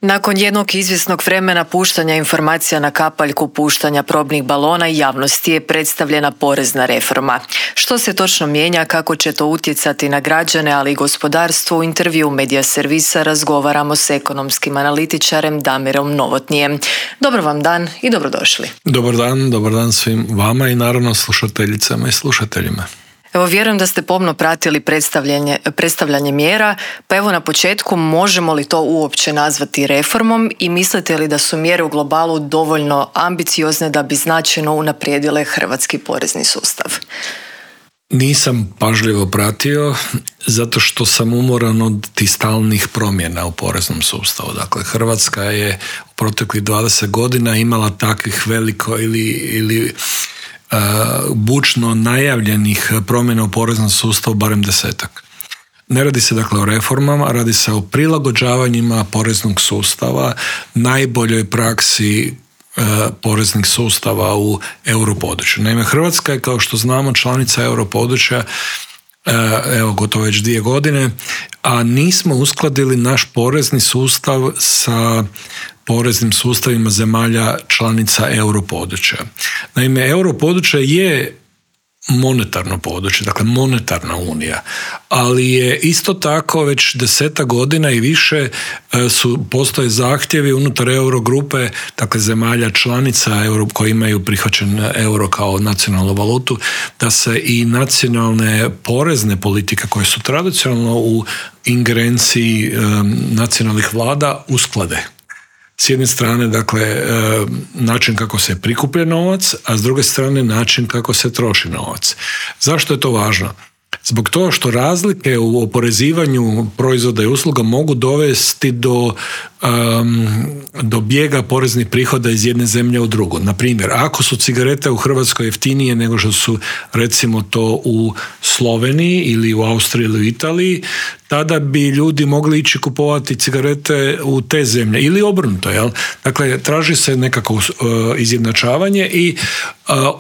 Nakon jednog izvjesnog vremena puštanja informacija na kapaljku puštanja probnih balona javnosti je predstavljena porezna reforma. Što se točno mijenja, kako će to utjecati na građane, ali i gospodarstvo, u intervju Medija servisa razgovaramo s ekonomskim analitičarem Damirom Novotnijem. Dobar vam dan i dobrodošli. Dobar dan svim vama i naravno slušateljicama i slušateljima. Evo, vjerujem da ste pomno pratili predstavljanje mjera, pa evo na početku, možemo li to uopće nazvati reformom i mislite li da su mjere u globalu dovoljno ambiciozne da bi značajno unaprijedile hrvatski porezni sustav? Nisam pažljivo pratio zato što sam umoran od tih stalnih promjena u poreznom sustavu. Dakle, Hrvatska je u proteklih 20 godina imala takvih veliko ili bučno najavljenih promjena u poreznom sustavu barem 10. Ne radi se dakle o reformama, radi se o prilagođavanjima poreznog sustava najboljoj praksi poreznih sustava u europodručju. Naime, Hrvatska je, kao što znamo, članica europodručja gotovo već 2 godine, a nismo uskladili naš porezni sustav sa poreznim sustavima zemalja članica europodručja. Naime, europodručje je monetarno područje, dakle monetarna unija, ali je isto tako već 10 godina i više postoje zahtjevi unutar Eurogrupe, dakle zemalja članica koji imaju prihvaćen euro kao nacionalnu valutu, da se i nacionalne porezne politike koje su tradicionalno u ingerenciji nacionalnih vlada usklade. S jedne strane, dakle, način kako se prikuplja novac, a s druge strane način kako se troši novac. Zašto je to važno? Zbog toga što razlike u oporezivanju proizvoda i usluga mogu dovesti do bijega poreznih prihoda iz jedne zemlje u drugu. Na primjer, ako su cigarete u Hrvatskoj jeftinije nego što su recimo to u Sloveniji ili u Austriji ili u Italiji, tada bi ljudi mogli ići kupovati cigarete u te zemlje ili obrnuto. Jel? Dakle, traži se nekako izjednačavanje i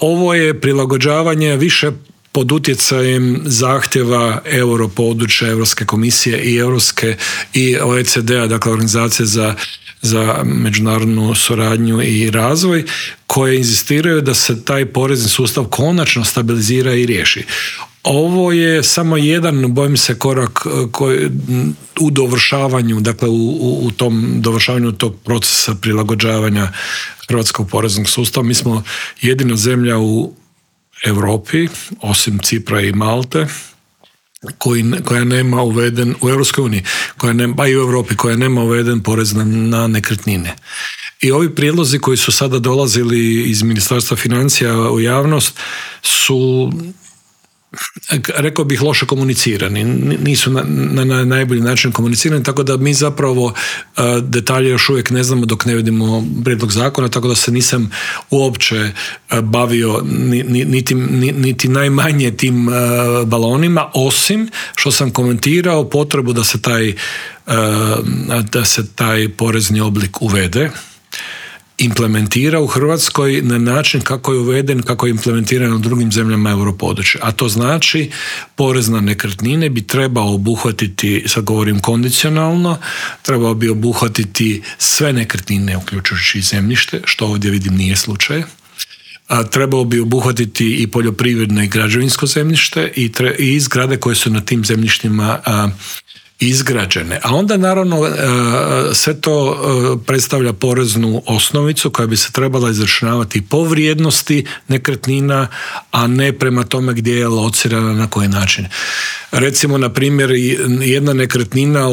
ovo je prilagođavanje više pod utjecajem zahtjeva europodručja, Europske komisije i OECD-a, dakle Organizacije za međunarodnu suradnju i razvoj, koje inzistiraju da se taj porezni sustav konačno stabilizira i riješi. Ovo je samo jedan, bojim se, korak u dovršavanju, dakle u tom dovršavanju tog procesa prilagođavanja hrvatskog poreznog sustava. Mi smo jedina zemlja u Europi, osim Cipra i Malte, koja nema uveden u Europskoj uniji, pa i u Europi, koja nema uveden porez na nekretnine. I ovi prijedlozi koji su sada dolazili iz Ministarstva financija u javnost su, rekao bih, loše komunicirani. Nisu na najbolji način komunicirani, tako da mi zapravo detalje još uvijek ne znamo dok ne vidimo prijedlog zakona, tako da se nisam uopće bavio niti najmanje tim balonima, osim što sam komentirao potrebu da se taj porezni oblik uvede, implementira u Hrvatskoj na način kako je uveden, kako je implementiran u drugim zemljama europodručja. A to znači, porez na nekretnine bi trebao obuhvatiti, sad govorim kondicionalno, trebao bi obuhvatiti sve nekretnine, uključujući i zemljište, što ovdje vidim nije slučaj. Trebao bi obuhvatiti i poljoprivredno i građevinsko zemljište i zgrade koje su na tim zemljištima izgrađene. A onda naravno sve to predstavlja poreznu osnovicu koja bi se trebala izračunavati po vrijednosti nekretnina, a ne prema tome gdje je locirana, na koji način. Recimo, na primjer, jedna nekretnina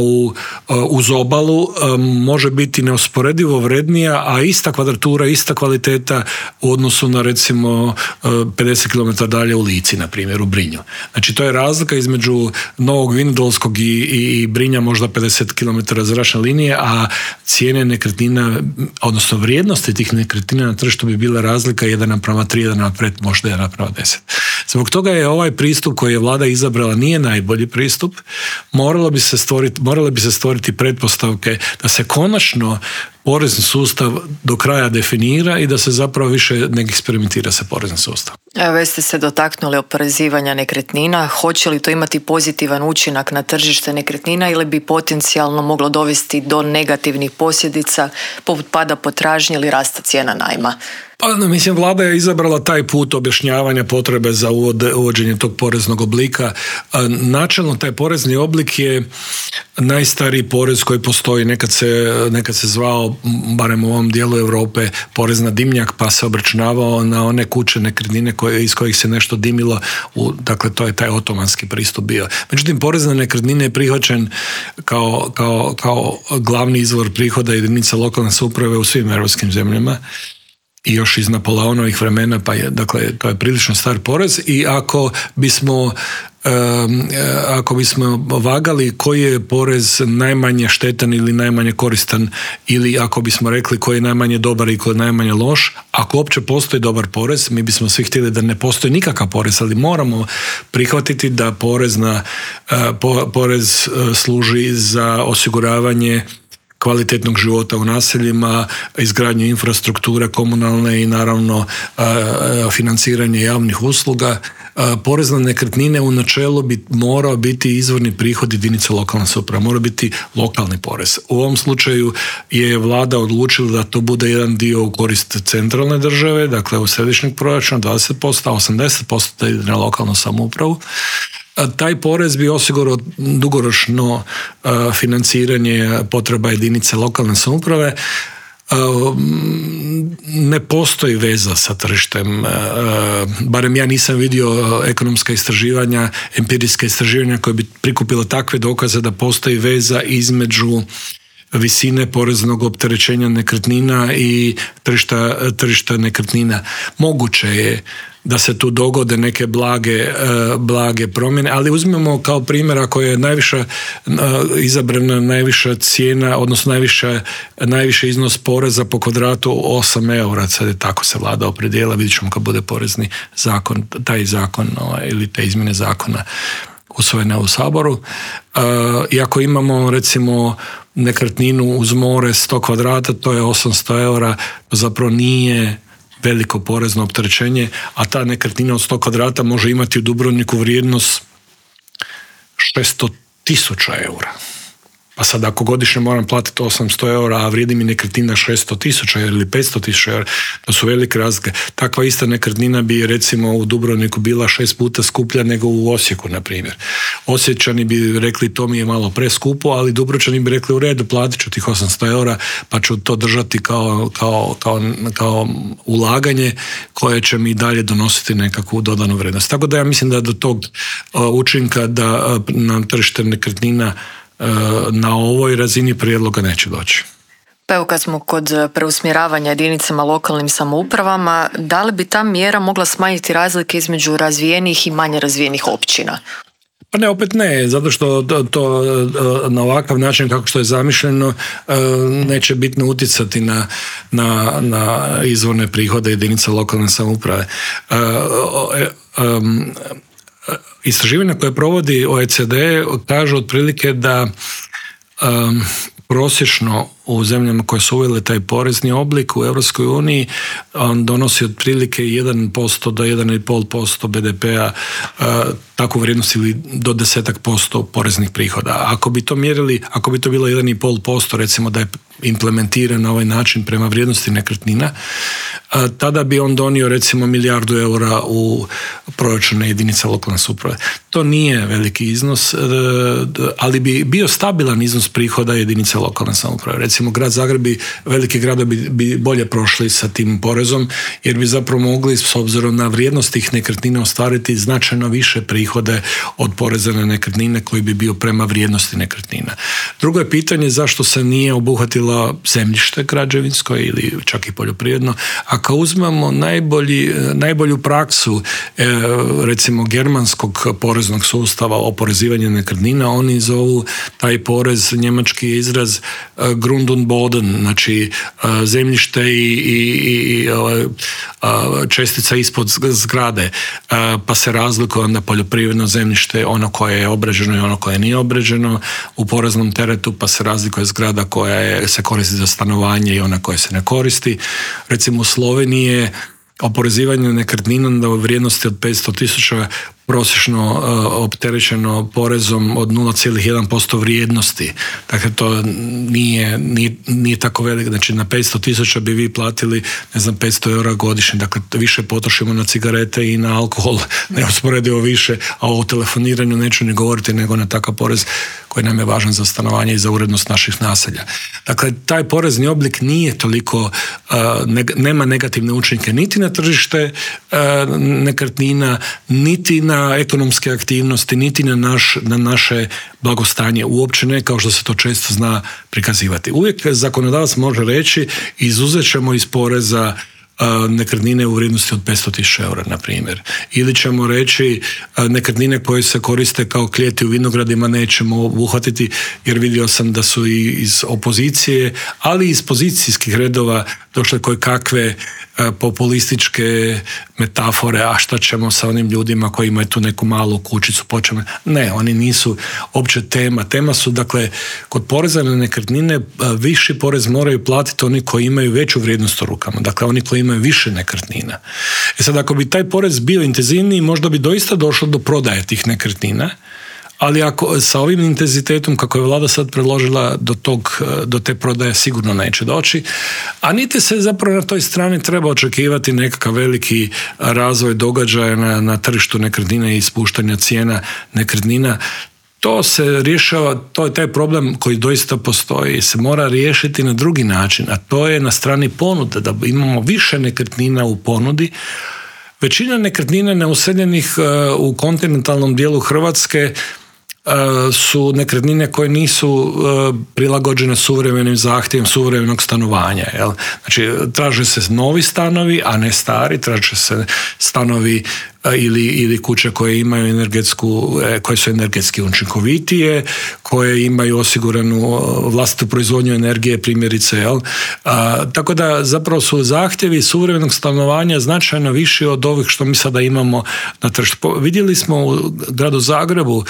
uz obalu može biti neusporedivo vrednija, a ista kvadratura, ista kvaliteta u odnosu na recimo 50 km dalje u Lici, na primjer u Brinju. Znači, to je razlika između Novog Vinodolskog i Brinja, možda 50 km zračne linije, a cijene nekretnina, odnosno vrijednosti tih nekretnina na tržištu bi bila razlika 1:3, 1:5, možda 1:10. Zbog toga je ovaj pristup koji je vlada izabrala nije najbolji pristup. Morale bi se stvoriti pretpostavke da se konačno porezni sustav do kraja definira i da se zapravo više ne eksperimentira sa poreznim sustavom. Evo, već ste se dotaknuli oporezivanja nekretnina. Hoće li to imati pozitivan učinak na tržište nekretnina ili bi potencijalno moglo dovesti do negativnih posljedica poput pada potražnje ili rasta cijena najma? Pa, mislim, vlada je izabrala taj put objašnjavanja potrebe za uvođenje tog poreznog oblika. Načelno taj porezni oblik je najstariji porez koji postoji. Nekad se zvao, barem u ovom dijelu Europe, porez na dimnjak, pa se obračunavao na one kuće, nekretnine iz kojih se nešto dimilo. Dakle, to je taj otomanski pristup bio. Međutim, porez na nekretnine je prihvaćen kao glavni izvor prihoda jedinica lokalne samouprave u svim europskim zemljama. I još iz Napoleonovih vremena, pa je, dakle, to je prilično star porez i ako bismo vagali koji je porez najmanje štetan ili najmanje koristan, ili ako bismo rekli koji je najmanje dobar i koji je najmanje loš, ako uopće postoji dobar porez, mi bismo svi htjeli da ne postoji nikakav porez, ali moramo prihvatiti da porez služi za osiguravanje kvalitetnog života u naseljima, izgradnju infrastrukture komunalne i naravno financiranje javnih usluga. Porez na nekretnine u načelu bi morao biti izvorni prihod jedinice lokalne samouprave, mora biti lokalni porez. U ovom slučaju je vlada odlučila da to bude jedan dio u korist centralne države, dakle u središnjeg proračuna 20%, a 80% da ide na lokalnu samoupravu. Taj porez bi osigurao dugoročno financiranje potreba jedinice lokalne samouprave. Ne postoji veza sa tržištem, barem ja nisam vidio ekonomska istraživanja, empirijska istraživanja koje bi prikupila takve dokaze da postoji veza između visine poreznog opterećenja nekretnina i tržišta nekretnina. Moguće je da se tu dogode neke blage promjene, ali uzmemo kao primjer ako je izabrana najviša cijena, odnosno najviši iznos poreza po kvadratu 8 eura, sad je tako se vlada opredijela, vidjet ćemo kad bude porezni zakon, taj zakon ili te izmjene zakona usvojene u Saboru. I ako imamo recimo nekretninu uz more 100 kvadrata, to je 800 eura, to zapravo nije veliko porezno opterećenje, a ta nekretnina od 100 kvadrata može imati u Dubrovniku vrijednost 600.000 eura. Pa sad ako godišnje moram platiti 800 eura, a vrijedi mi nekretnina 600.000 ili 500.000 eura, to su velike razlike. Takva ista nekretnina bi recimo u Dubrovniku bila 6 puta skuplja nego u Osijeku, na primjer. Osječani bi rekli to mi je malo preskupo, ali Dubrovčani bi rekli u redu, platit ću tih 800 eura, pa ću to držati kao ulaganje koje će mi dalje donositi nekakvu dodanu vrijednost. Tako da ja mislim da do tog učinka da na tržište nekretnina na ovoj razini prijedloga neće doći. Pa evo, kad smo kod preusmjeravanja jedinicama lokalnim samoupravama, da li bi ta mjera mogla smanjiti razlike između razvijenih i manje razvijenih općina? Pa ne, opet ne, zato što to na ovakav način kako što je zamišljeno neće bitno utjecati na izvorne prihode jedinica lokalne samouprave. Istraživanja koje provodi OECD kažu otprilike da prosječno u zemljama koje su uvele taj porezni oblik u Europskoj uniji on donosi otprilike 1% do 1,5% BDP-a takvu vrijednost ili do 10% poreznih prihoda. Ako bi to mjerili, ako bi to bilo 1,5%, recimo da je implementiran na ovaj način prema vrijednosti nekretnina, tada bi on donio recimo 1 milijardu eura u proračune jedinica lokalne samouprave. To nije veliki iznos, ali bi bio stabilan iznos prihoda jedinica lokalne samouprave. Recimo grad Zagreb i veliki gradovi bi bolje prošli sa tim porezom, jer bi zapravo mogli s obzirom na vrijednost tih nekretnina ostvariti značajno više prihode od poreza na nekretnine koji bi bio prema vrijednosti nekretnina. Drugo je pitanje zašto se nije obuhvatilo zemljište građevinsko ili čak i poljoprivredno. Ako uzmemo najbolju praksu recimo germanskog poreznog sustava oporezivanja nekretnina, oni zovu taj porez, njemački izraz Grund und Boden, znači zemljište i čestica ispod zgrade, pa se razlikuje onda poljoprivredno zemljište, ono koje je obrađeno i ono koje nije obrađeno u poreznom teretu, pa se razlikuje zgrada koja se koristi za stanovanje i ona koja se ne koristi. Recimo u Sloveniji je oporezivanje nekretnina u vrijednosti od 500.000 prosječno opterećeno porezom od 0,1% vrijednosti. Dakle, to nije tako veliko. Znači, na 500.000 bi vi platili, 500 eura godišnje. Dakle, više potrošimo na cigarete i na alkohol, neusporedivo više, a o telefoniranju neću ni govoriti nego na takav porez koji nam je važan za stanovanje i za urednost naših naselja. Dakle, taj porezni oblik nije toliko, nema negativne učinke niti na tržište nekretnina, niti na ekonomske aktivnosti, niti na naše blagostanje. Uopće ne, kao što se to često zna prikazivati. Uvijek zakonodavac može reći, izuzet ćemo iz poreza nekretnine u vrijednosti od 500.000 eura, na primjer. Ili ćemo reći nekretnine koje se koriste kao klijeti u vinogradima nećemo obuhvatiti, jer vidio sam da su i iz opozicije, ali i iz pozicijskih redova došle koje kakve populističke metafore, a šta ćemo sa onim ljudima koji imaju tu neku malu kućicu, ne, oni nisu opće tema. Tema su, dakle, kod poreza na nekretnine viši porez moraju platiti oni koji imaju veću vrijednost u rukama, dakle oni koji imaju više nekretnina. Sad, ako bi taj porez bio intenzivniji, možda bi doista došlo do prodaje tih nekretnina, ali ako sa ovim intenzitetom kako je vlada sad predložila do te prodaje sigurno neće doći, a niti se zapravo na toj strani treba očekivati nekakav veliki razvoj događaja na tržištu nekretnina i spuštanja cijena nekretnina. To se rješava, to je taj problem koji doista postoji, se mora riješiti na drugi način, a to je na strani ponude, da imamo više nekretnina u ponudi. Većina nekretnina neuseljenih u kontinentalnom dijelu Hrvatske su nekretnine koje nisu prilagođene suvremenim zahtjevom suvremenog stanovanja. Jel? Znači, traže se novi stanovi, a ne stari, traže se stanovi ili kuće koje imaju koje su energetski učinkovitije, koje imaju osiguranu vlastitu proizvodnju energije, primjerice. Jel? Tako da zapravo su zahtjevi suvremenog stanovanja značajno viši od ovih što mi sada imamo na tržištu. Vidjeli smo u gradu Zagrebu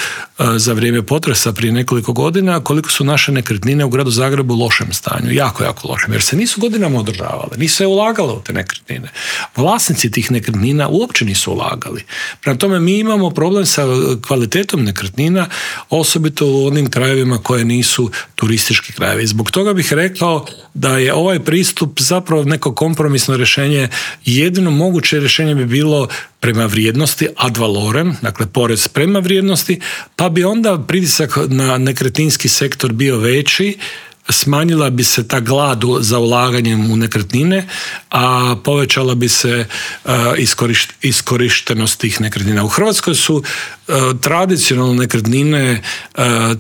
za vrijeme potresa prije nekoliko godina koliko su naše nekretnine u gradu Zagrebu u lošem stanju, jako, jako lošem, jer se nisu godinama održavale, nisu se ulagale u te nekretnine. Vlasnici tih nekretnina uopće nisu ulagali. Prema tome, mi imamo problem sa kvalitetom nekretnina, osobito u onim krajevima koje nisu turistički krajevi. Zbog toga bih rekao da je ovaj pristup zapravo neko kompromisno rješenje. Jedino moguće rješenje bi bilo prema vrijednosti ad valorem, dakle porez prema vrijednosti, pa bi onda pritisak na nekretninski sektor bio veći, smanjila bi se ta glad za ulaganjem u nekretnine, a povećala bi se iskorištenost tih nekretnina. U Hrvatskoj su tradicionalno nekretnine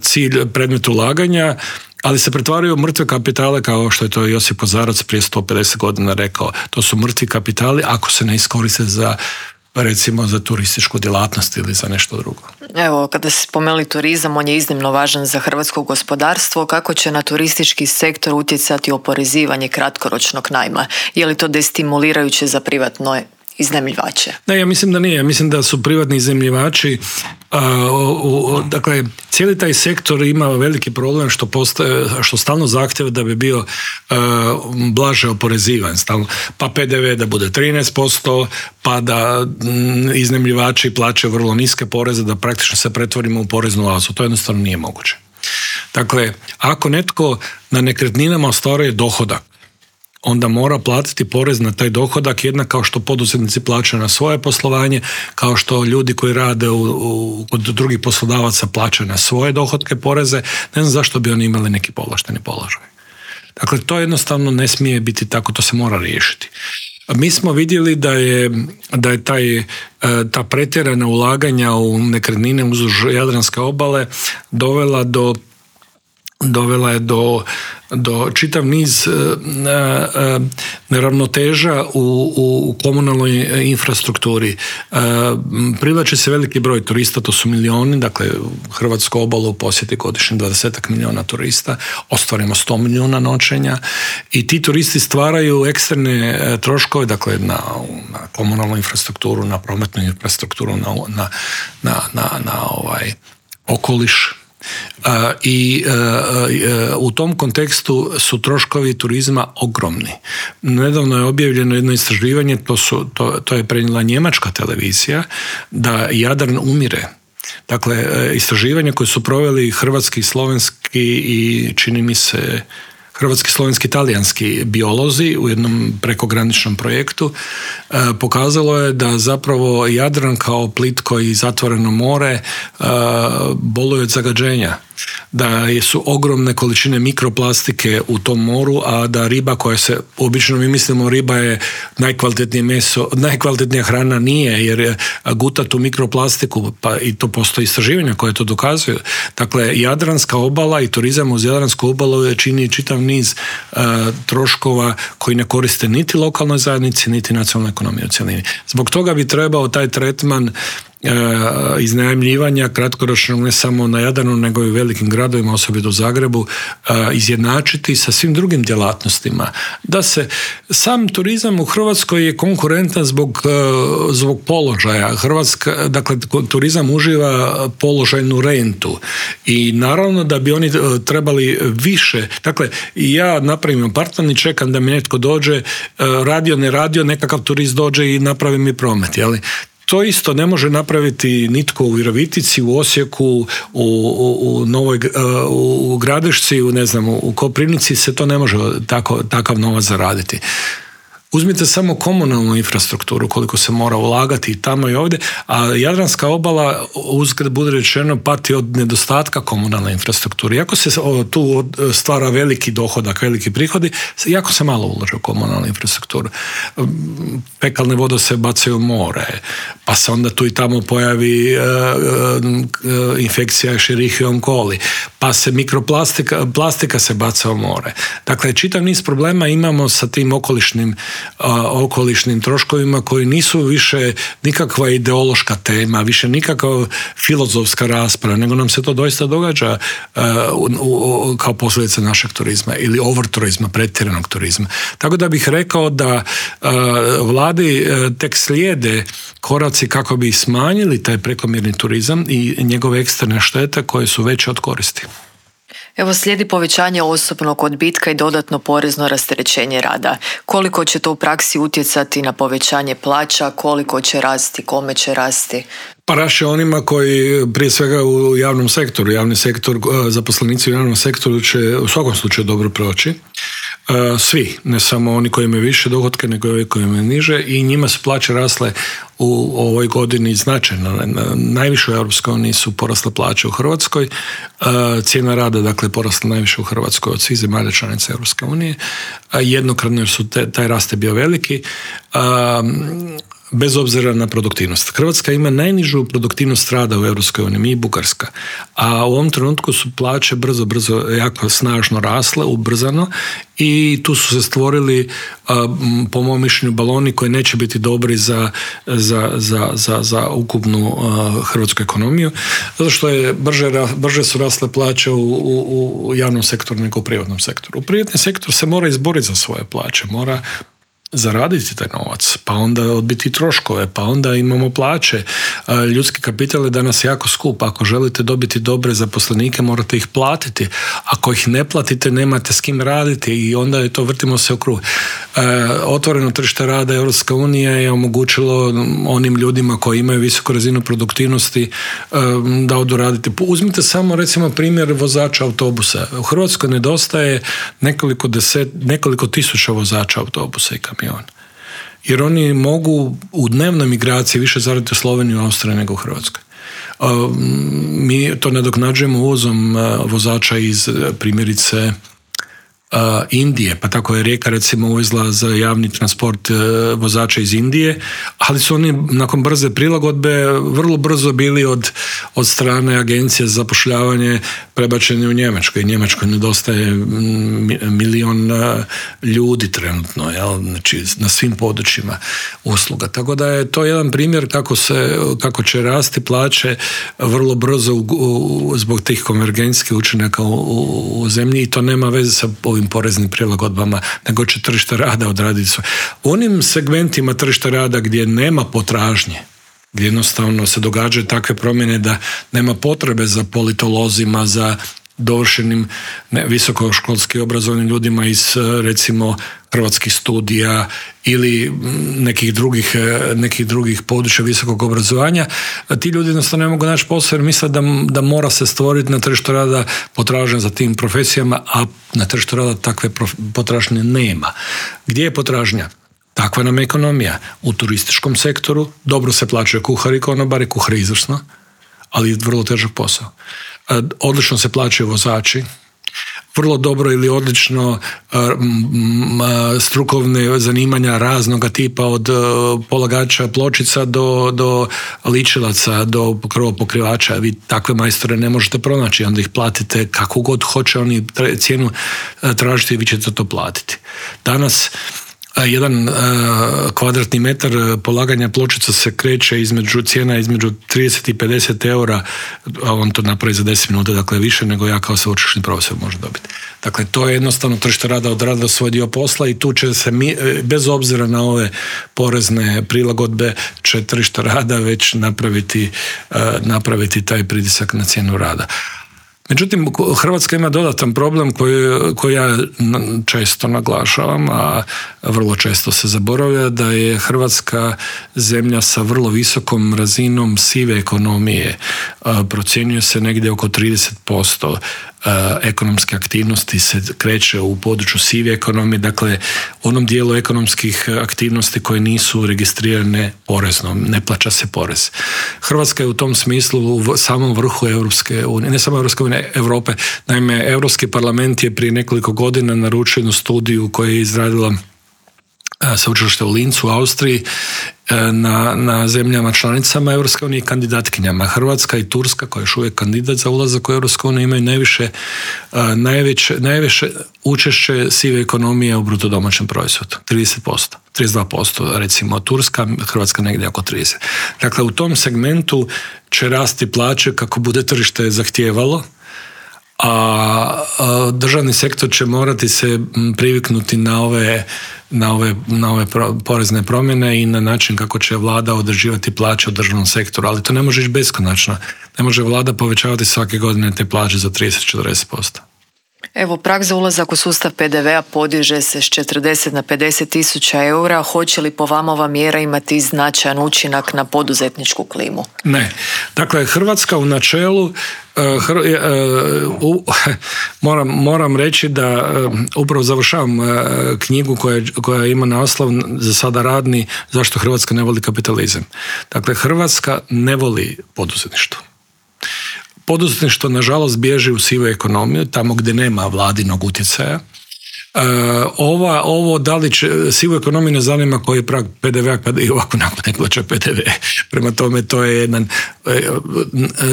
cilj, predmet ulaganja, ali se pretvaraju u mrtve kapitale, kao što je to Josip Kozarac prije 150 godina rekao. To su mrtvi kapitali ako se ne iskoriste recimo za turističku djelatnost ili za nešto drugo. Evo, kada se spomenuli turizam, on je iznimno važan za hrvatsko gospodarstvo. Kako će na turistički sektor utjecati oporezivanje kratkoročnog najma? Je li to destimulirajuće za privatno iznajmljivače? Ne, ja mislim da nije. Ja mislim da su privatni iznajmljivači dakle, cijeli taj sektor ima veliki problem što stalno zahtjeva da bi bio blaže oporezivan. Pa PDV da bude 13%, pa da iznajmljivači plaćaju vrlo niske poreze, da praktično se pretvorimo u poreznu oazu. To jednostavno nije moguće. Dakle, ako netko na nekretninama ostvaruje dohodak, onda mora platiti porez na taj dohodak jednak kao što poduzetnici plaćaju na svoje poslovanje, kao što ljudi koji rade kod drugih poslodavaca plaćaju na svoje dohotke poreze. Ne znam zašto bi oni imali neki povlašteni položaj. Dakle, to jednostavno ne smije biti tako, to se mora riješiti. Mi smo vidjeli da je ta pretjerana ulaganja u nekretnine uzduž Jadranske obale dovela do dovela je do čitav niz neravnoteža u komunalnoj infrastrukturi. Privlači se veliki broj turista, to su milioni, dakle Hrvatsku obalu posjeti godišnje 20 milijuna turista, ostvarimo 100 milijuna noćenja i ti turisti stvaraju eksterne troškove, dakle na komunalnu infrastrukturu, na prometnu infrastrukturu, na okoliš. I u tom kontekstu su troškovi turizma ogromni. Nedavno je objavljeno jedno istraživanje, to je prenijela njemačka televizija, da Jadran umire. Dakle, istraživanje koje su proveli hrvatski, slovenski i čini mi se hrvatski, slovenski, talijanski biolozi u jednom prekograničnom projektu pokazalo je da zapravo Jadran kao plitko i zatvoreno more boluje od zagađenja. Da su ogromne količine mikroplastike u tom moru, a da riba koja se, obično mi mislimo riba je najkvalitetnije meso, najkvalitetnija hrana nije, jer guta tu mikroplastiku, pa i to postoji istraživanja koje to dokazuju. Dakle, Jadranska obala i turizam uz Jadransku obalu čini čitav niz troškova koji ne koriste niti lokalnoj zajednici, niti nacionalnoj ekonomiji u cjelini. Zbog toga bi trebao taj tretman iznajmljivanja kratkoročnog ne samo na Jadranu nego i u velikim gradovima, osobito u Zagrebu, izjednačiti sa svim drugim djelatnostima. Da se sam turizam u Hrvatskoj je konkurentan zbog položaja. Dakle, turizam uživa položajnu rentu i naravno da bi oni trebali više. Dakle, ja napravim apartman i čekam da mi netko dođe, radio, ne radio, nekakav turist dođe i napravi mi promet, jeli? To isto ne može napraviti nitko u Virovitici, u Osijeku, u Novoj, u Gradešci, u Koprivnici se to ne može takav novac zaraditi. Uzmite samo komunalnu infrastrukturu, koliko se mora ulagati i tamo i ovdje, a Jadranska obala, uzgled bude rečeno, pati od nedostatka komunalne infrastrukture. Iako se tu stvara veliki dohodak, veliki prihodi, jako se malo ulaže u komunalnu infrastrukturu. Fekalne vode se bacaju u more, pa se onda tu i tamo pojavi infekcija Escherichia coli, pa se plastika se baca u more. Dakle, čitav niz problema imamo sa tim okolišnim troškovima koji nisu više nikakva ideološka tema, više nikakva filozofska rasprava, nego nam se to doista događa kao posljedica našeg turizma ili overturizma, pretjeranog turizma. Tako da bih rekao da vladi tek slijede koraci kako bi smanjili taj prekomjerni turizam i njegove eksterne štete koje su veće od koristi. Evo, slijedi povećanje osobnog odbitka i dodatno porezno rasterećenje rada. Koliko će to u praksi utjecati na povećanje plaća, koliko će rasti, kome će rasti? Pa raše onima koji prije svega u javnom sektoru. Javni sektor, zaposlenici u javnom sektoru će u svakom slučaju dobro proći. Svi, ne samo oni koji imaju više dohotke, nego i ovi koji imaju niže, i njima su plaće rasle u ovoj godini značajno. Najviše u Europskoj uniji su porasle plaće u Hrvatskoj. Cijena rada, dakle, porasla najviše u Hrvatskoj od svih zemalja članica Europske unije. Jednokratno jer su taj rast je bio veliki. Bez obzira na produktivnost. Hrvatska ima najnižu produktivnost rada u Europskoj uniji, mi i Bugarska. A u ovom trenutku su plaće brzo, jako snažno rasle, ubrzano, i tu su se stvorili, po mom mišljenju, baloni koji neće biti dobri za ukupnu hrvatsku ekonomiju, zato što je brže su rasle plaće u javnom sektoru nego u privatnom sektoru. U privatni sektor se mora izboriti za svoje plaće, mora zaraditi taj novac, pa onda odbiti troškove, pa onda imamo plaće. Ljudski kapital je danas jako skup. Ako želite dobiti dobre zaposlenike, morate ih platiti. Ako ih ne platite, nemate s kim raditi i onda je to, vrtimo se u krug. Otvoreno tržište rada Europska unija je omogućilo onim ljudima koji imaju visoku razinu produktivnosti da odu raditi. Uzmite samo recimo primjer vozača autobusa. U Hrvatskoj nedostaje nekoliko tisuća vozača autobusa i kamiona. Jer oni mogu u dnevnoj migraciji više zaraditi u Sloveniji i Austriji nego u Hrvatskoj. Mi to nadoknađujemo uvozom vozača iz, primjerice, Indije, pa tako je Rijeka recimo uvezla za javni transport vozača iz Indije, ali su oni nakon brze prilagodbe vrlo brzo bili od strane agencije za zapošljavanje prebačeni u Njemačkoj. Njemačkoj nedostaje 1 milion ljudi trenutno, znači na svim područjima usluga. Tako da je to jedan primjer kako će rasti plaće vrlo brzo zbog tih konvergencijskih učinaka u zemlji i to nema veze sa ovim poreznim prilagodbama, nego će tržište rada odraditi sve. U onim segmentima tržišta rada gdje nema potražnje, gdje jednostavno se događaju takve promjene da nema potrebe za politolozima, za dovršenim visokoškolski obrazovanim ljudima iz recimo hrvatskih studija ili nekih drugih područja visokog obrazovanja, ti ljudi jednostavno ne mogu naći posao jer misle da mora se stvoriti na tržištu rada potražnja za tim profesijama, a na tržištu rada takve potražnje nema. Gdje je potražnja? Takva nam je ekonomija. U turističkom sektoru dobro se plaćaju kuhari i konobari, kuhari izvrsno, ali vrlo težak posao. Odlično se plaćaju vozači, vrlo dobro ili odlično strukovne zanimanja raznoga tipa od polagača pločica do ličilaca, do krovopokrivača. Vi takve majstore ne možete pronaći, onda ih platite kako god hoće oni cijenu tražiti i vi ćete to platiti. Danas jedan kvadratni metar polaganja pločica se kreće cijena između 30 i 50 eura, a on to napravi za 10 minuta, dakle više nego ja kao sveučilišni profesor može dobiti. Dakle, to je jednostavno tržište rada odradilo svoj dio posla i tu će se, bez obzira na ove porezne prilagodbe, će tržište rada već napraviti taj pritisak na cijenu rada. Međutim, Hrvatska ima dodatan problem koji ja često naglašavam, a vrlo često se zaboravlja, da je Hrvatska zemlja sa vrlo visokom razinom sive ekonomije. Procjenjuje se negdje oko 30% ekonomske aktivnosti se kreće u području sive ekonomije, dakle onom dijelu ekonomskih aktivnosti koje nisu registrirane porezno, ne plaća se porez. Hrvatska je u tom smislu u samom vrhu Europske unije, ne samo Europske unije, Europe. Naime, Europski parlament je prije nekoliko godina naručio jednu studiju koju je izradila sveučilište u Lincu u Austriji na zemljama članicama Europske unije i kandidatkinjama. Hrvatska i Turska, koja je još uvijek kandidat za ulazak u Europsku uniju, imaju najviše učešće sive ekonomije u bruto domaćem proizvodu. 30%, 32% recimo Turska, Hrvatska negdje oko 30%. Dakle, u tom segmentu će rasti plaće kako bude tržište zahtijevalo, a državni sektor će morati se priviknuti na ove porezne promjene i na način kako će vlada određivati plaće u državnom sektoru, ali to ne može ići beskonačno. Ne može vlada povećavati svake godine te plaće za 30-40%. Evo, prag za ulazak u sustav PDV-a podiže se s 40 na 50.000 eura. Hoće li po vama ova mjera imati značajan učinak na poduzetničku klimu? Ne. Dakle, Hrvatska u načelu moram reći da upravo završavam knjigu koja ima naslov za sada radni zašto Hrvatska ne voli kapitalizam. Dakle, Hrvatska ne voli poduzetništvo. Poduzetništvo, nažalost, bježi u sivu ekonomiju, tamo gdje nema vladinog utjecaja. Ovo da li će sivu ekonomiju ne zanima koji je prag PDV-a kada i ovako nakon ne plaća PDV. Prema tome, to je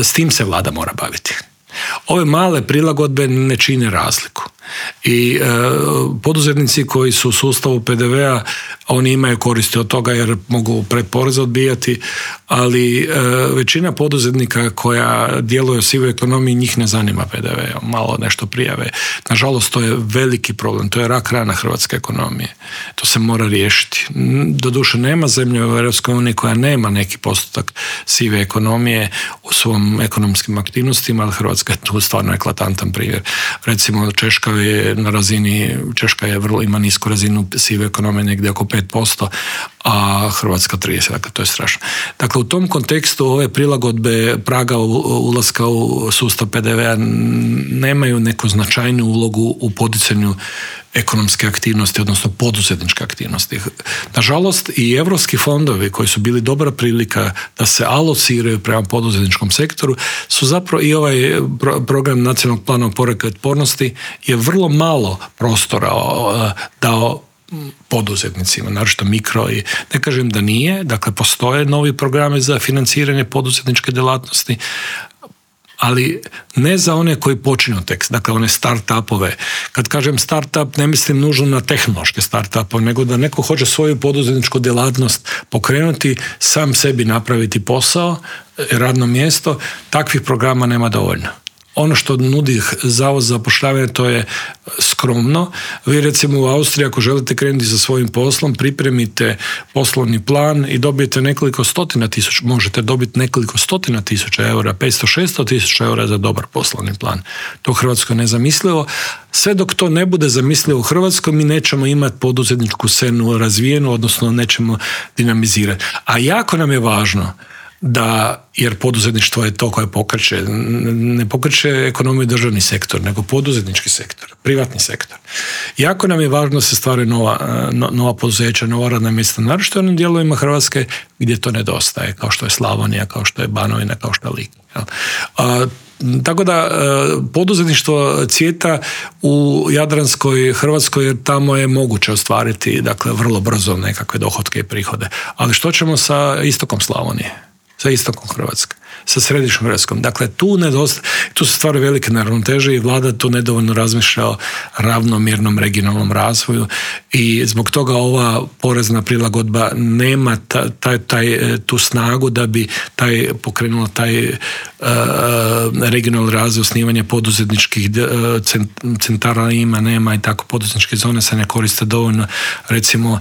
s tim se vlada mora baviti. Ove male prilagodbe ne čine razliku. I poduzetnici koji su u sustavu PDV-a, oni imaju koristi od toga jer mogu pretporeze odbijati, ali većina poduzetnika koja djeluje u sivoj ekonomiji, njih ne zanima PDV, malo nešto prijave. Nažalost, to je veliki problem, to je rak rana hrvatske ekonomije. To se mora riješiti. Doduše, nema zemlje u Europskoj uniji koja nema neki postotak sive ekonomije u svom ekonomskim aktivnostima, ali Hrvatska je tu stvarno eklatantan primjer. Recimo, Češka ima nisku razinu sive ekonomije, negdje oko 5%, a Hrvatska 30%. Dakle, to je strašno. Dakle, u tom kontekstu ove prilagodbe praga ulaska u sustav PDV-a nemaju neku značajnu ulogu u poticanju ekonomske aktivnosti, odnosno poduzetničke aktivnosti. Nažalost, i europski fondovi koji su bili dobra prilika da se alociraju prema poduzetničkom sektoru su zapravo i ovaj program nacionalnog plana oporavka i otpornosti je vrlo malo prostora dao poduzetnicima, naročito mikro i ne kažem da nije, dakle postoje novi programe za financiranje poduzetničke djelatnosti, ali ne za one koji počinju tek, dakle one start-upove. Kad kažem start-up, ne mislim nužno na tehnološke start-upove, nego da neko hoće svoju poduzetničku djelatnost pokrenuti, sam sebi napraviti posao, radno mjesto, takvih programa nema dovoljno. Ono što nudi Zavod za zapošljavanje, to je skromno. Vi recimo u Austriji, ako želite krenuti sa svojim poslom, pripremite poslovni plan i dobijete nekoliko stotina tisuća, možete dobiti nekoliko stotina tisuća eura, 500-600 tisuća eura za dobar poslovni plan. To u Hrvatskoj je nezamislivo. Sve dok to ne bude zamislivo u Hrvatskoj, mi nećemo imati poduzetničku scenu razvijenu, odnosno nećemo dinamizirati. A jako nam je važno da, jer poduzetništvo je to koje pokreće, ne pokreće ekonomiju državni sektor, nego poduzetnički sektor, privatni sektor. Jako nam je važno da se stvaraju nova poduzeća, nova radna mjesta, naročito u onim dijelovima Hrvatske gdje to nedostaje, kao što je Slavonija, kao što je Banovina, kao što je Lika. Tako da poduzetništvo cvijeta u jadranskoj Hrvatskoj, jer tamo je moguće ostvariti, dakle, vrlo brzo nekakve dohotke i prihode. Ali što ćemo sa istokom Slavonije? Sa istokom Hrvatske, sa središnjom Hrvatskom. Dakle, tu se stvaraju velike neravnoteže i vlada tu nedovoljno razmišlja o ravnomjernom regionalnom razvoju i zbog toga ova porezna prilagodba nema tu snagu da bi pokrenula taj regionalni razvoj, osnivanje poduzetničkih centara nema i tako poduzetničke zone se ne koriste dovoljno. Recimo,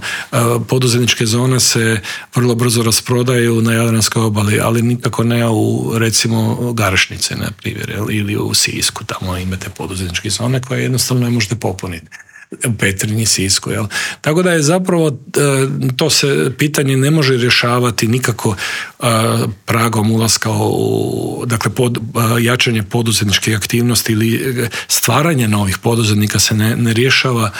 poduzetničke zone se vrlo brzo rasprodaju na Jadranskoj obali, ali nikako ne u recimo Garešnice, na primjer, ili u Sisku, tamo imate poduzetničke zone koje jednostavno ne možete popuniti. U Petrinji, Sisku, jel? Tako da je zapravo to se pitanje ne može rješavati nikako pragom ulaska dakle jačanje poduzetničke aktivnosti ili stvaranje novih poduzetnika se ne rješava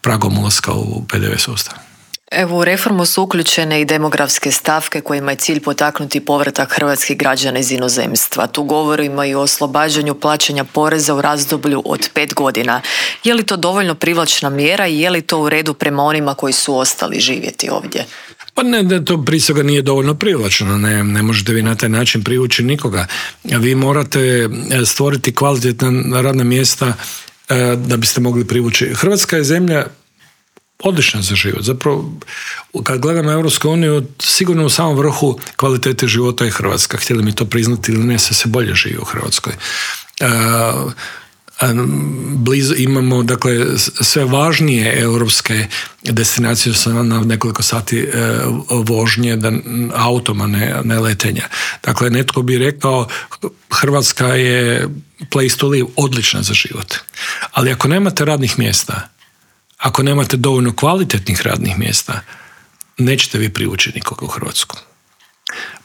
pragom ulaska u PDV sustav. Evo, u reformu su uključene i demografske stavke kojima je cilj potaknuti povratak hrvatskih građana iz inozemstva. Tu govorimo i o oslobađanju plaćanja poreza u razdoblju od 5 godina. Je li to dovoljno privlačna mjera i je li to u redu prema onima koji su ostali živjeti ovdje? Pa ne, to prije svega nije dovoljno privlačno. Ne možete vi na taj način privući nikoga. Vi morate stvoriti kvalitetna radna mjesta da biste mogli privući. Hrvatska je zemlja odlična za život. Zapravo, kad gledamo Europsku uniju, sigurno u samom vrhu kvalitete života je Hrvatska. Htjeli mi to priznati ili ne, se bolje živi u Hrvatskoj. Blizu imamo, dakle, sve važnije europske destinacije su na nekoliko sati vožnje automa, ne letenja. Dakle, netko bi rekao Hrvatska je place to live, odlična za život. Ali ako nemate radnih mjesta, ako nemate dovoljno kvalitetnih radnih mjesta, nećete vi privući nikoga u Hrvatsku.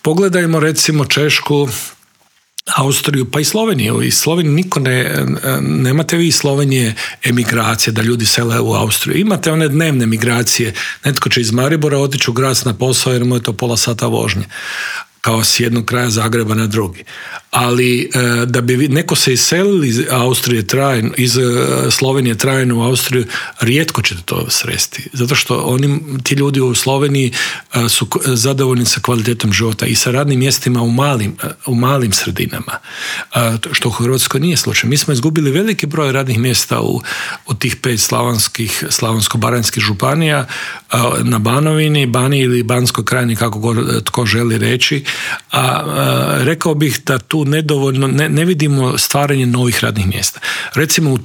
Pogledajmo recimo Češku, Austriju, pa i Sloveniju. I Sloveniju niko nemate vi iz Slovenije emigracije, da ljudi sele u Austriju. Imate one dnevne migracije. Netko će iz Maribora otići u Graz na posao jer mu je to pola sata vožnje, kao s jednog kraja Zagreba na drugi. Ali da bi neko se iselili iz Austrije trajno, iz Slovenije trajno u Austriju, rijetko ćete to sresti. Zato što ti ljudi u Sloveniji su zadovoljni sa kvalitetom života i sa radnim mjestima u malim sredinama. Što u Hrvatskoj nije slučaj. Mi smo izgubili veliki broj radnih mjesta u tih 5 slavonsko-baranjskih županija, na Banovini, Baniji ili Banskoj krajini, kako god tko želi reći. Rekao bih da tu nedovoljno, ne vidimo stvaranje novih radnih mjesta. Recimo u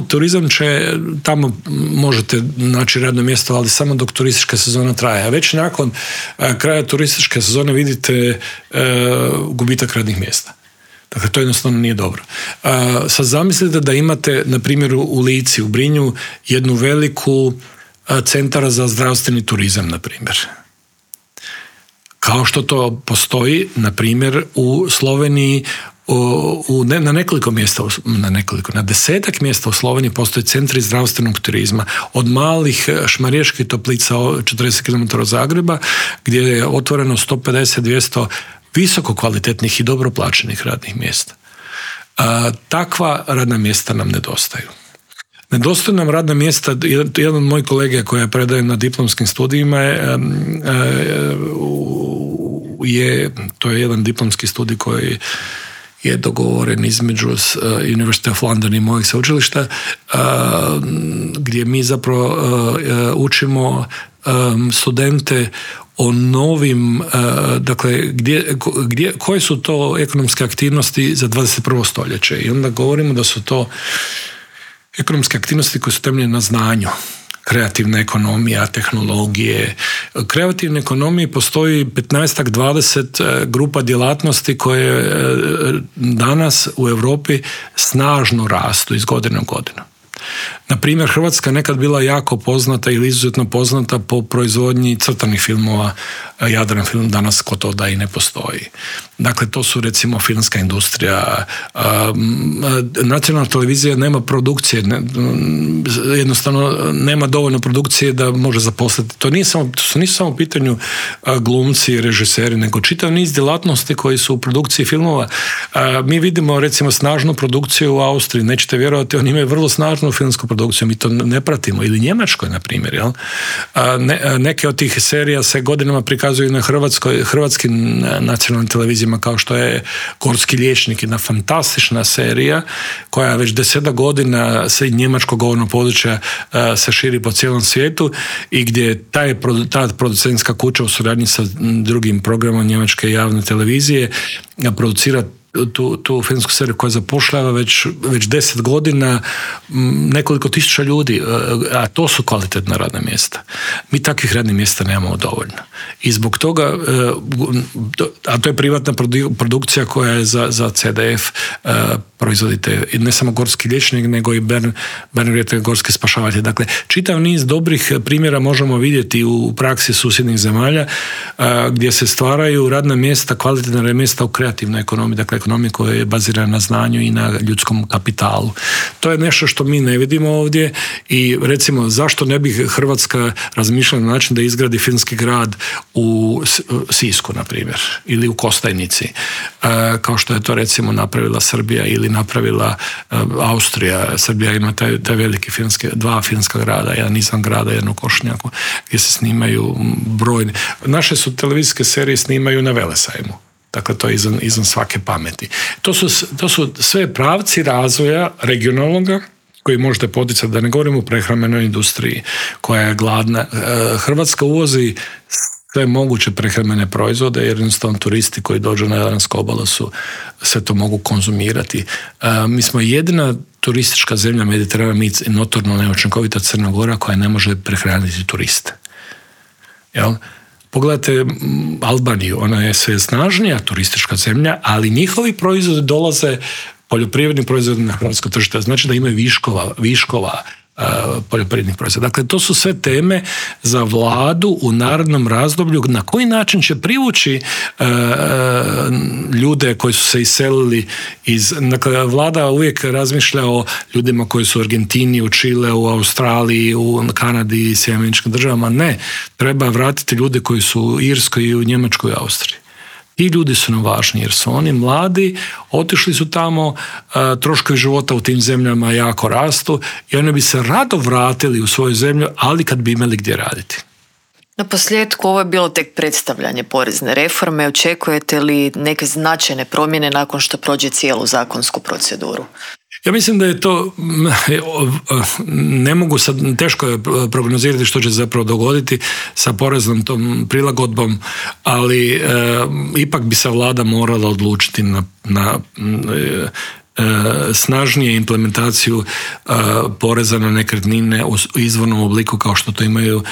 turizam će, tamo možete naći radno mjesto, ali samo dok turistička sezona traje. A već nakon kraja turističke sezone vidite gubitak radnih mjesta. Dakle, to jednostavno nije dobro. Sad zamislite da imate, na primjer, u Lici, u Brinju, jednu veliku centara za zdravstveni turizam, na primjer. Kao što to postoji, na primjer, u Sloveniji, na 10 mjesta u Sloveniji postoje centri zdravstvenog turizma, od malih šmarijeških toplica 40 km od Zagreba, gdje je otvoreno 150-200 visoko kvalitetnih i dobro plaćenih radnih mjesta. Takva radna mjesta nam nedostaju. Nedostaju nam radna mjesta. Jedan od mojih kolega koji predaje na diplomskim studijima to je jedan diplomski studij koji je dogovoren između University of London i mojeg sveučilišta, gdje mi zapravo učimo studente o novim, dakle, koje su to ekonomske aktivnosti za 21. stoljeće. I onda govorimo da su to ekonomske aktivnosti koje su temeljene na znanju. Kreativna ekonomija, tehnologije. U kreativnoj ekonomiji postoji 15-20 grupa djelatnosti koje danas u Europi snažno rastu iz godine u godinu. Na primjer, Hrvatska je nekad bila jako poznata ili izuzetno poznata po proizvodnji crtanih filmova. Jadran film danas gotovo da i ne postoji. Dakle, to su recimo filmska industrija. Nacionalna televizija nema produkcije, jednostavno nema dovoljno produkcije da može zaposliti. To nisu samo u pitanju glumci i režiseri, nego čitav niz djelatnosti koji su u produkciji filmova. Mi vidimo recimo snažnu produkciju u Austriji, nećete vjerovati, oni imaju vrlo snažnu filmsku produkciju, mi to ne pratimo. Ili Njemačkoj, na primjer. Jel? Neke od tih serija se godinama prikazuju na hrvatskim nacionalnim televizijama, kao što je Gorski liječnik, jedna fantastična serija koja već 10 godina se njemačkog govornog područja se širi po cijelom svijetu i gdje ta producentska kuća u suradnji sa drugim programom njemačke javne televizije producira tu filmsku seriju koja zapošljava već 10 godina nekoliko tisuća ljudi, a to su kvalitetna radna mjesta. Mi takvih radnih mjesta nemamo dovoljno. I zbog toga, a to je privatna produkcija koja je za CDF proizvodite ne samo Gorski liječnik, nego i Bernadette Gorski spašavatelj. Dakle, čitav niz dobrih primjera možemo vidjeti u praksi susjednih zemalja gdje se stvaraju radna mjesta, kvalitetna radna mjesta u kreativnoj ekonomiji, dakle ekonomiji koja je bazirana na znanju i na ljudskom kapitalu. To je nešto što mi ne vidimo ovdje i recimo zašto ne bi Hrvatska razmišljala na način da izgradi filmski grad u Sisku, na primjer, ili u Kostajnici, kao što je to recimo napravila Srbija ili napravila Austrija. Srbija ima taj veliki dva filmska grada, jedan izvan grada, jedan u Košnjaku, gdje se snimaju brojne. Naše su televizijske serije snimaju na Velesajmu. Dakle, to je izvan svake pameti. To su sve pravci razvoja regionalnoga koji možete poticati, da ne govorimo o prehrambenoj industriji koja je gladna. Hrvatska uvozi sve moguće prehrambene proizvode jer jednostavno turisti koji dođu na Jadransku obalu sve to mogu konzumirati. Mi smo jedina turistička zemlja Mediterana, mi notorno neučinkovita Crna Gora koja ne može prehraniti turiste. Jel? Pogledajte Albaniju, ona je sve snažnija turistička zemlja, ali njihovi proizvodi dolaze, poljoprivredni proizvodi na hrvatsko tržište, znači da imaju viškova poljoprivrednih proizvoda. Dakle, to su sve teme za vladu u narednom razdoblju na koji način će privući ljude koji su se iselili Dakle, vlada uvijek razmišlja o ljudima koji su u Argentini, u Čile, u Australiji, u Kanadi i Sjedinjenim Američkim Državama. Ne, treba vratiti ljude koji su u Irskoj i u Njemačkoj i Austriji. Ti ljudi su nam važni jer su oni mladi, otišli su tamo, troškovi života u tim zemljama jako rastu i oni bi se rado vratili u svoju zemlju, ali kad bi imali gdje raditi. Na posljedku, ovo je bilo tek predstavljanje porezne reforme. Očekujete li neke značajne promjene nakon što prođe cijelu zakonsku proceduru? Ja mislim da je to, ne mogu sad, teško je prognozirati što će zapravo dogoditi sa poreznom tom prilagodbom, ali ipak bi se vlada morala odlučiti na snažnije implementaciju poreza na nekretnine u izvornom obliku kao što to imaju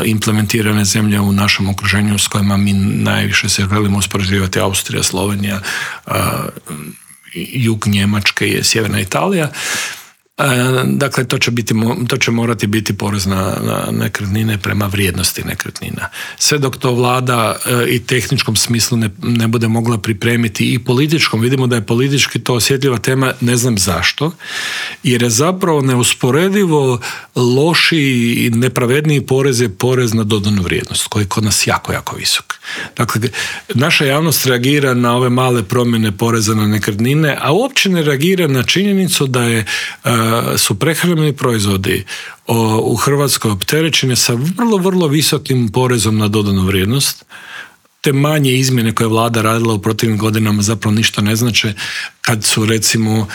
implementirane zemlje u našem okruženju s kojima mi najviše se želimo uspoređivati, Austrija, Slovenija, jug Njemačke i sjeverna Italija. Dakle, to će morati biti porez na nekretnine prema vrijednosti nekretnina. Sve dok to vlada i tehničkom smislu ne bude mogla pripremiti i političkom, vidimo da je politički to osjetljiva tema, ne znam zašto, jer je zapravo neusporedivo lošiji i nepravedniji porez je porez na dodanu vrijednost, koji je kod nas jako, jako visok. Dakle, naša javnost reagira na ove male promjene poreza na nekretnine, a uopće ne reagira na činjenicu da su prehrambeni proizvodi u Hrvatskoj opterećeni sa vrlo, vrlo visokim porezom na dodanu vrijednost. Te manje izmjene koje je vlada radila u protivnim godinama zapravo ništa ne znače kad su recimo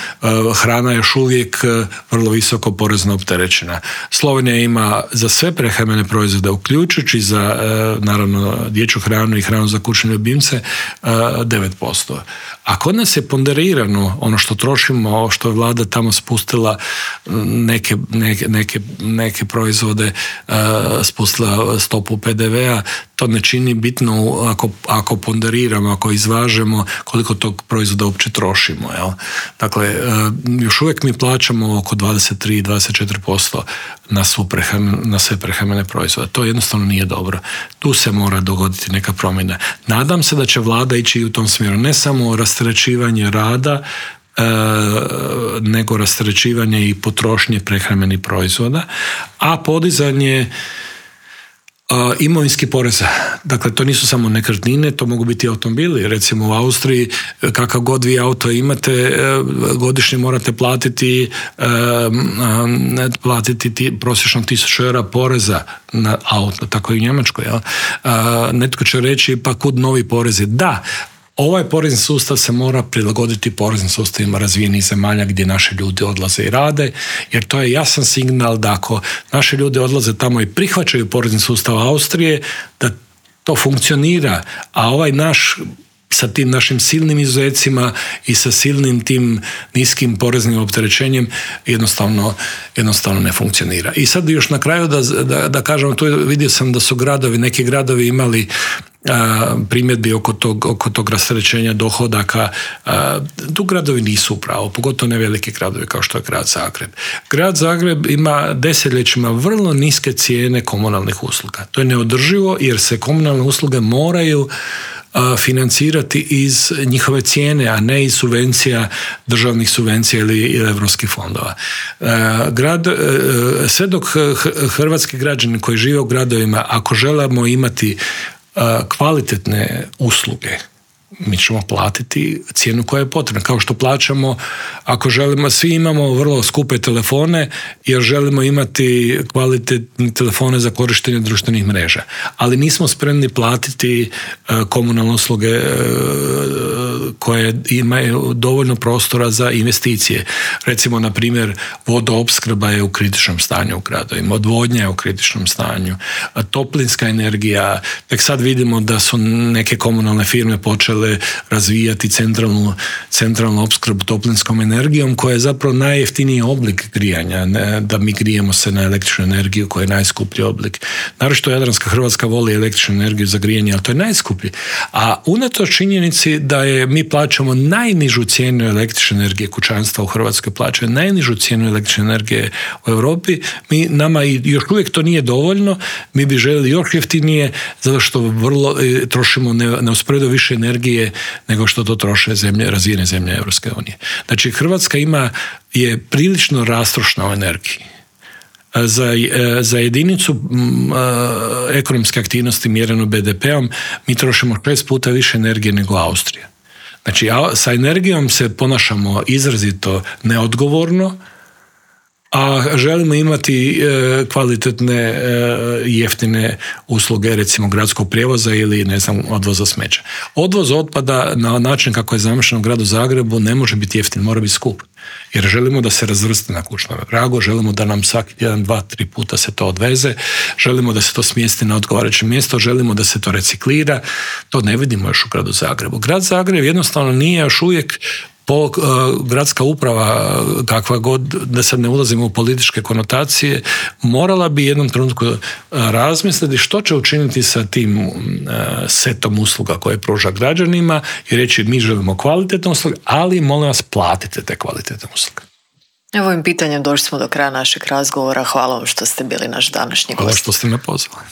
hrana još uvijek vrlo visoko porezno opterećena. Slovenija ima za sve prehrambene proizvode, uključujući za naravno dječju hranu i hranu za kućne ljubimce 9%. A kod nas je ponderirano ono što trošimo, što je vlada tamo spustila neke proizvode, spustila stopu PDV-a, to ne čini bitno ako ponderiramo, ako izvažemo koliko tog proizvoda uopće trošimo. Jel? Dakle, još uvijek mi plaćamo oko 23-24% na sve prehrambene proizvode. To jednostavno nije dobro. Tu se mora dogoditi neka promjena. Nadam se da će vlada ići u tom smjeru. Ne samo rasterećivanje rada, nego rasterećivanje i potrošnje prehrambenih proizvoda, a podizanje imovinski poreza. Dakle, to nisu samo nekretnine, to mogu biti automobili. Recimo u Austriji, kakav god vi auto imate, godišnje morate platiti prosječno 1000 eura poreza na auto, tako i u Njemačkoj. Jel? Netko će reći, pa kud novi porezi? Da, ovaj porezni sustav se mora prilagoditi poreznim sustavima razvijenih zemalja gdje naši ljudi odlaze i rade, jer to je jasan signal da ako naši ljudi odlaze tamo i prihvaćaju porezni sustav Austrije, da to funkcionira, a ovaj naš sa tim našim silnim izuzecima i sa silnim tim niskim poreznim opterećenjem jednostavno ne funkcionira. I sad još na kraju da kažem, tu vidio sam da su neki gradovi imali primjedbi oko tog rasterećenja dohodaka. Tu gradovi nisu upravo, pogotovo ne veliki gradovi kao što je grad Zagreb. Grad Zagreb ima desetljećima vrlo niske cijene komunalnih usluga. To je neodrživo jer se komunalne usluge moraju financirati iz njihove cijene, a ne iz subvencija, državnih subvencija ili europskih fondova. Sve dok hrvatski građani koji žive u gradovima, ako želimo imati kvalitetne usluge, mi ćemo platiti cijenu koja je potrebna. Kao što plaćamo, ako želimo, svi imamo vrlo skupe telefone jer želimo imati kvalitetne telefone za korištenje društvenih mreža. Ali nismo spremni platiti komunalne usluge koje imaju dovoljno prostora za investicije. Recimo, na primjer, vodoopskrba je u kritičnom stanju u gradovima, odvodnja je u kritičnom stanju, toplinska energija. Tek sad vidimo da su neke komunalne firme počele razvijati centralnu opskrbu toplinskom energijom, koja je zapravo najjeftiniji oblik grijanja, da mi grijemo se na električnu energiju koja je najskuplji oblik. Naročito Jadranska Hrvatska voli električnu energiju za grijanje, ali to je najskuplji. A unatoč činjenici da mi plaćamo najnižu cijenu električne energije, kućanstva u Hrvatskoj plaćaju najnižu cijenu električne energije u Europi, nama još uvijek to nije dovoljno, mi bi željeli još jeftinije, zato što trošimo neusporedivo više energije nego što to troše razvijene zemlje Europske unije. Znači, Hrvatska je prilično rastrošna u energiji. Za jedinicu ekonomske aktivnosti mjereno BDP-om mi trošimo 6 puta više energije nego Austrija. Znači, sa energijom se ponašamo izrazito neodgovorno, a želimo imati kvalitetne jeftine usluge, recimo gradskog prijevoza ili odvoza smeća. Odvoz otpada na način kako je zamišljeno u gradu Zagrebu ne može biti jeftin, mora biti skup. Jer želimo da se razvrsti na kućnom pragu, želimo da nam svaki tjedan 2-3 puta se to odveze, želimo da se to smjesti na odgovarajuće mjesto, želimo da se to reciklira. To ne vidimo još u gradu Zagrebu. Grad Zagreb jednostavno nije još uvijek gradska uprava, kakva god, da sad ne ulazimo u političke konotacije, morala bi jednom trenutku razmisliti što će učiniti sa tim setom usluga koje pruža građanima i reći mi želimo kvalitetne usluge, ali molim vas platite te kvalitetne usluge. Ovim pitanjem došli smo do kraja našeg razgovora. Hvala vam što ste bili naš današnji gost. Hvala što ste me pozvali.